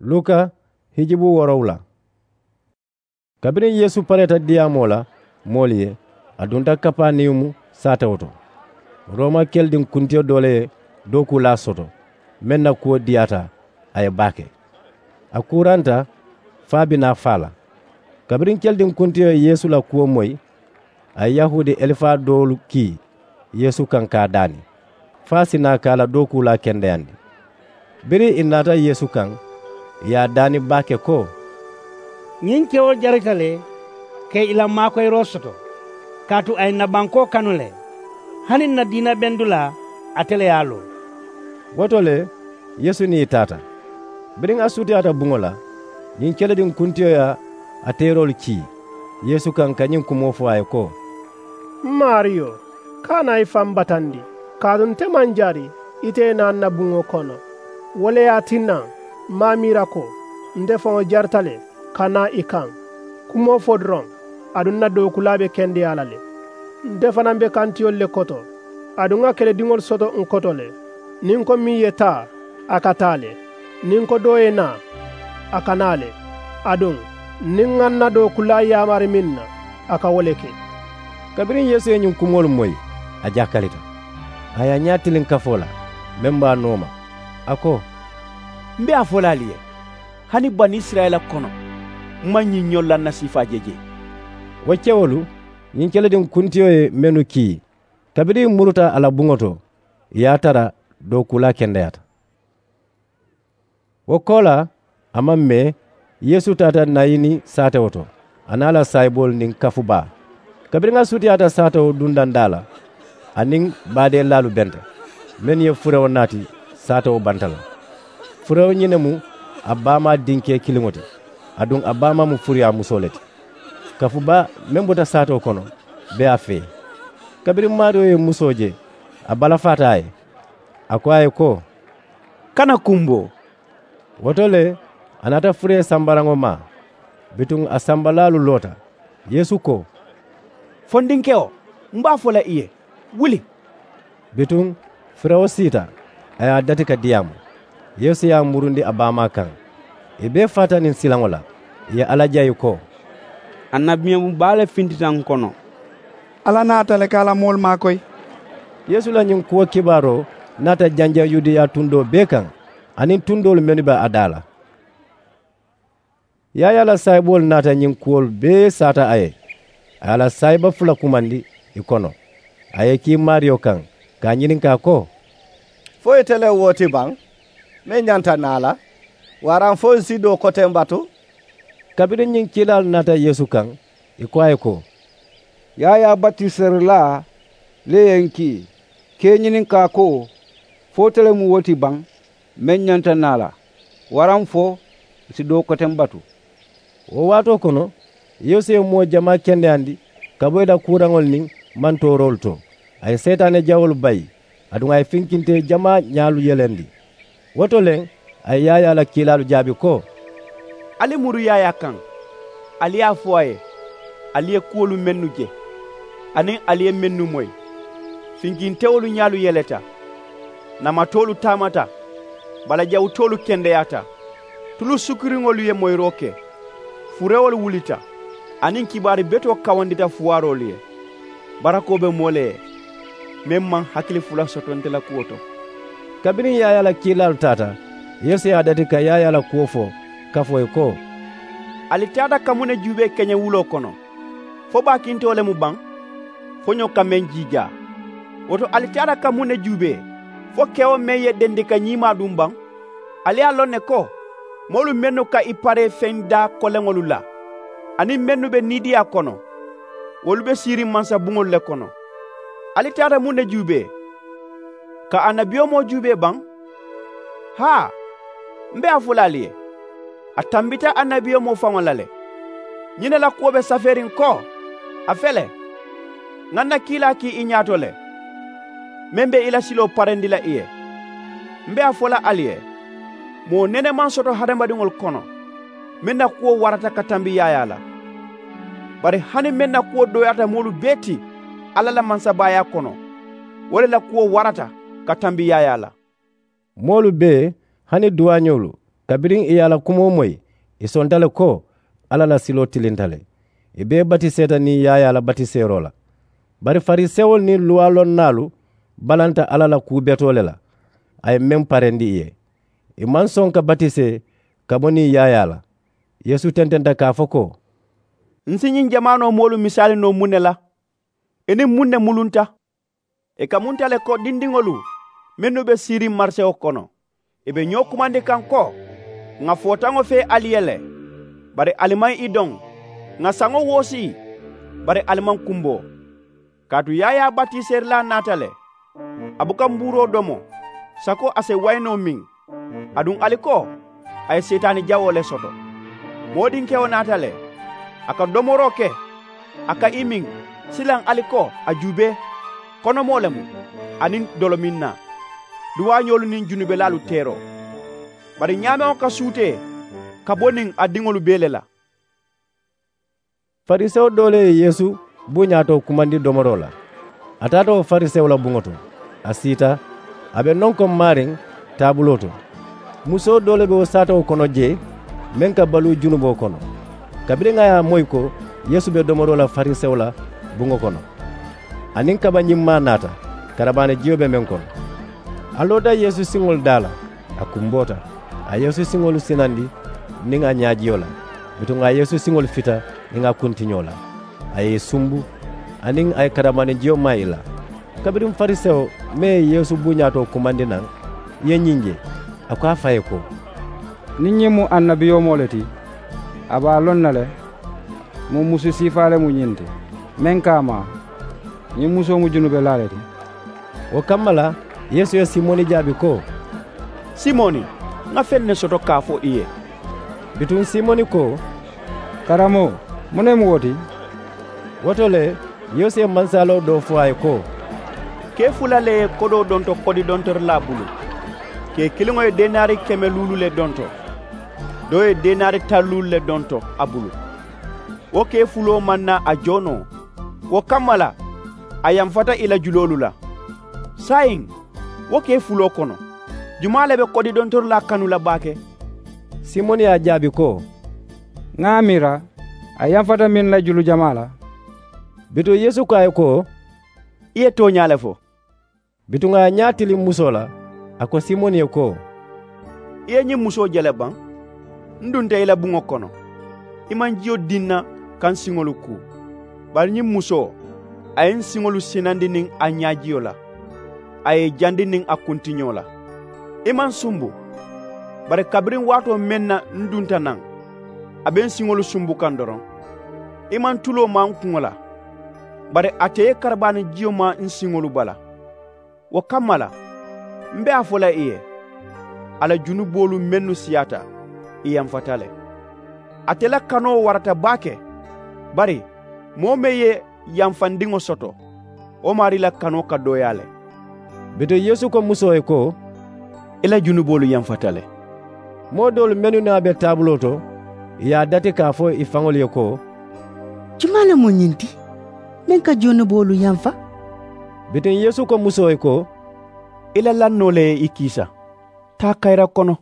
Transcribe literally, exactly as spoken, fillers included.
Luka hijibu woorowula. Kabiriŋ yeesu pareeta diyaamoo la moolu ye, a dunta kapaniyumu saatewo to. Rooma kelidiŋ kuntiyo doo le ye dookuulaa soto, meŋ na kuwo diyaata a ye baake. A kuuranta fo a be naa faa la. Kabiriŋ kelidiŋ kuntiyo ye yeesu la kuwo moyi, a ye yahuudi elifaa doolu kii yeesu kaŋ ka a daani, fo a si naa ka a la dookuulaa kendeyandi. Biriŋ ì naata yeesu kaŋ, ì ye a daani baake ko: Ñiŋ kewo jarita le ka ì la maakoyiroo soto, kaatu a ye ǹ na bankoo kanu le, hani ǹ na diina bendulaa ate le ye a loŋ. Wo to le, yeesu niŋ ì taata. Biriŋ a sutiyaata buŋo la, ñiŋ kelidiŋ kuntiyo ye a teeroolu kii yeesu kaŋ ka ñiŋ kumoo fo a ye ko: M maariyo, kana i faŋ batandi, kaatu nte maŋ jari ite ye naa n na buŋo kono. Wo le ye a tinna m maŋ a miira ko nte faŋo jarita le ka naa i kaŋ. Kumoo fo doroŋ, aduŋ n na dookuulaa be kendeyaa la le. Nte fanaa be kantiyolu le koto, aduŋ ŋa kelediŋolu soto n koto le. Niŋ ko meŋ ye taa, a ka taa le. Niŋ ko doo ye naa, a ka naa le. Aduŋ niŋ ŋa n na dookuulaa yaamari meŋ na, a ka wo le ke. Kabiriŋ yeesu ye ñiŋ kumoolu moyi, a jakalita, a ye a ñaa tiliŋ kafoo la meŋ be a nooma. A ko: M be a fo la ali ye, hani banisirayila kono m maŋ ñiŋ ñoŋ lannasiifaa je jee. Wo kewolu, ñiŋ kelidiŋ kuntiyo ye mennu kii, kabiriŋ ì muruta a la buŋo to, ì ye a tara dookuulaa kendeyaata. Wo koolaa, a maŋ mee, yeesu taata nayini saatewo to, a niŋ a la saayiboolu niŋ kafu baa. Kabiriŋ a sutiyaata saatewo dundandaa la, a niŋ baadeelaalu benta, mennu ye furewo naati saatewo banta la. Furewo ñiŋ ne mu a baamaa dinkee kiliŋo ti, aduŋ a baamaa mu furuyaamusoo le ti. Kafu baa meŋ bota saatewo kono be a fee. Kabiriŋ maariyo ye musoo je, a balafaata a ye, a ko a ye ko: Kana kumboo. Wo to le, a naata furee sambaraŋo maa. Bituŋ a sambalaalu loota. Yeesu ko: Fondinkewo, m be a fo la i ye, wuli. Bituŋ furewo siita, a ye a dati ka diyaamu. Yeesu ye a murundi a baamaa kaŋ. Ì bee faata niŋ silaŋo la, ì ye alla jayi ko: Annabiyaŋo baa le fintita n kono. Alla naata le ka a la moolu maakoyi. Yeesu la ñiŋ kuwo kibaaroo naata janjaŋ yudeya tundoo bee kaŋ, aniŋ tundoolu mennu be a daa la. Yaayaa la saayiboolu naata ñiŋ kuwolu bee saata a ye. A ye a la saayiba fula kumandi ì kono. A ye ì kii maariyo kaŋ, ka a ñininkaa ko: Fo ite le wo ti baŋ meŋ ñanta naa la, waraŋ fo ǹ si doo koteŋ batu? Kabiriŋ ñiŋ kiilaalu naata yeesu kaŋ, ì ko a ye ko: Yaayaa batiserilaa le ye ǹ kii ka i ñininkaa ko, fo ite le mu wo ti baŋ meŋ ñanta naa la, waraŋ fo ǹ si doo koteŋ batu? Wo waatoo kono, yeesu ye moo jamaa kendeyandi ka bo ì la kuuraŋolu niŋ mantooroolu to. A ye seetaane jawoolu bayi, aduŋ a ye finkinte jamaa ñaalu yelendi. Wo to le, a ye yaayaa la kiilaalu jaabi ko: Ali muru yaayaa kaŋ, ali ye a fo a ye, ali ye kuwolu mennu je, aniŋ ali ye mennu moyi. Finkintewolu ñaalu yeleta, namatoolu taamata, balajawutoolu kendeyaata, tulu sukuriŋolu ye moyiroo ke, furewolu wulita, aniŋ kibaari betoo kawandita fuwaaroolu ye. Barakoo be moo le ye meŋ maŋ hakili fula soto nte la kuwo to. Kabiriŋ yaayaa la kiilaalu taata, yeesu ye a dati ka yaayaa la kuwo fo kafoo ye ko: Ali taata ka muŋ ne juubee keñewuloo kono? Fo baakintewo le mu baŋ, foñoo ka meŋ jiijaa? Wo to ali taata ka muŋ ne juubee? Fo kewo meŋ ye dendi ka ñiimaa duŋ baŋ? Ali ye a loŋ ne ko, moolu mennu ka i paree feŋ daa koleŋolu la, aniŋ mennu be niidiyaa kono, wolu be siiriŋ mansabuŋolu le kono. Ali taata muŋ ne juubee? Ka annabiyomoo juubee baŋ? Haa, m be a fo la ali ye, a tambita annabiyomoo faŋo la le. Ñiŋ ne la kuwo be safeeriŋ ko, a fele, ŋa n na kiilaa kii i ñaato le, meŋ be i la siloo parendi la i ye. M be a fo la ali ye, moo nene maŋ soto hadamadiŋolu kono meŋ na kuwo warata ka tambi yaayaa la. Bari hani meŋ na kuwo dooyaata moolu bee ti alla la mansabaayaa kono, wo le la kuwo warata ka tambi yaayaa la. Moolu bee, hani duwaañoolu, Kabiriŋ ì ye a la kumoo moyi, ì sonta le ko alla la siloo tilinta le. Ì bee batiseeta niŋ yaayaa la batiseeroo la. Bari farisewolu niŋ luwaa lonnaalu balanta alla la kuu betoo le la, a ye meŋ parendi ì ye. Ì maŋ soŋ ka batisee ka bo niŋ yaayaa la. Yeesu tententa ka a fo ko, n si ñiŋ jamaanoo moolu misaali noo muŋ ne la? Ì niŋ muŋ ne mulunta? Ì ka munta le ko dindiŋolu mennu be siiriŋ marisewo kono, ì be ñoo kumandi kaŋ ko, ŋà footaŋo fee ali ye le, bari ali maŋ i doŋ. Ŋà saŋo woosi, bari ali maŋ kumboo. Kaatu yaayaa batiseerilaa naata le, a buka mbuuroo domo sako a si wayinoo miŋ. Aduŋ ali ko, a ye seetaani jawoo le soto. Moodinkewo naata le, a ka domoroo ke, a ka i miŋ. Silaŋ ali ko, a juubee, konomoo le mu, aniŋ dolominnaa, duwaañoolu niŋ junubelaalu teeroo. Bari ñaameŋo ka suutee ka bo niŋ a diŋolu bee le la. Farisewo doo le ye yeesu buuñaa to kumandi domoroo la. A taata wo farisewo la buŋo to, a siita, a be nonkoŋ maariŋ taabuloo to. Musoo doo le be wo saatawo kono jee, meŋ ka baluu junuboo kono. Kabiriŋ a ye a moyi ko yeesu be domoroo la farisewo la buŋo kono, aniŋ kabañimmaa naata, karabaani jiyo be meŋ kono. A loota yeesu siŋolu daa la, a kumboota, a ye yeesu siŋolu sinandi niŋ a ñaajiyo la. Bituŋ a ye yeesu siŋolu fita niŋ a kuntiñoo la, a ye i sumbu, aniŋ a ye karabaani jiyo maa i la. Kabiriŋ farisewo meŋ ye yeesu buuñaa to kumandi naŋ ye ñiŋ je, a ko a fa ye ko, niŋ ñiŋ mu annabiyomoo le ti, a be a loŋ na le mu musu siifaa le mu ñiŋ ti, meŋ ka a maa ñiŋ musoo mu junubelaa le ti. Wo kamma la, yeesu ye simoni jaabi ko, simoni, ŋa feŋ ne soto ka a fo i ye. Bituŋ simoni ko, karamoo, muŋ ne mu wo ti? Wo to le, yeesu ye mansaaloo doo fo a ye ko, kee fula le ye kodoo donto kodidontorilaa bulu. Kee kiliŋo ye denaari keme luulu le donto, doo ye denaari taŋ luulu le donto a bulu. Wo kee fuloo maŋ naa a joo noo. Wo kamma la, a yamfata i la juloolu la. Saayiŋ, wo kee fuloo kono, jumaa le be kodidontorilaa kanu la baake? Simoni ye a jaabi ko, ŋa a miira, a yamfata meŋ la julu jamaa la. Bituŋ yeesu ko a ye ko, i ye tooñaa le fo. Bituŋ a ye a ñaa tiliŋ musoo la, a ko simoni ye ko, i ye ñiŋ musoo je le baŋ? N dunta i la buŋo kono, i maŋ jiyo diŋ na ka n siŋolu kuu. Bari ñiŋ musoo, a ye n siŋolu sinandi niŋ a ñaajiyo la, a ye i jandi niŋ a kuntiñoo la. I maŋ sumbu. Bari kabiriŋ waatoo meŋ na n dunta naŋ, a be n siŋolu sumbu kaŋ doroŋ, i maŋ tuloo maa n kuŋo la. Bari ate ye karabaani jiyo maa n siŋolu bala. Wo kamma la, m be a fo la i ye, a la junuboolu mennu siyaata, i yamfata le. Ate la kanoo warata baake. Bari moo meŋ ye yamfandiŋo soto, wo maarii la kanoo ka dooyaa le. Bituŋ yeesu ko musoo ye ko, i la junuboolu yamfata le. Moo doolu mennu niŋ a be taabuloo to, ì ye a dati ka a fo i faŋolu ye ko, jumaa le mu ñiŋ ti meŋ ka junuboolu yamfa? Bituŋ yeesu ko musoo ye ko, i la lannoo le ye i kiisa. Taa kayira kono,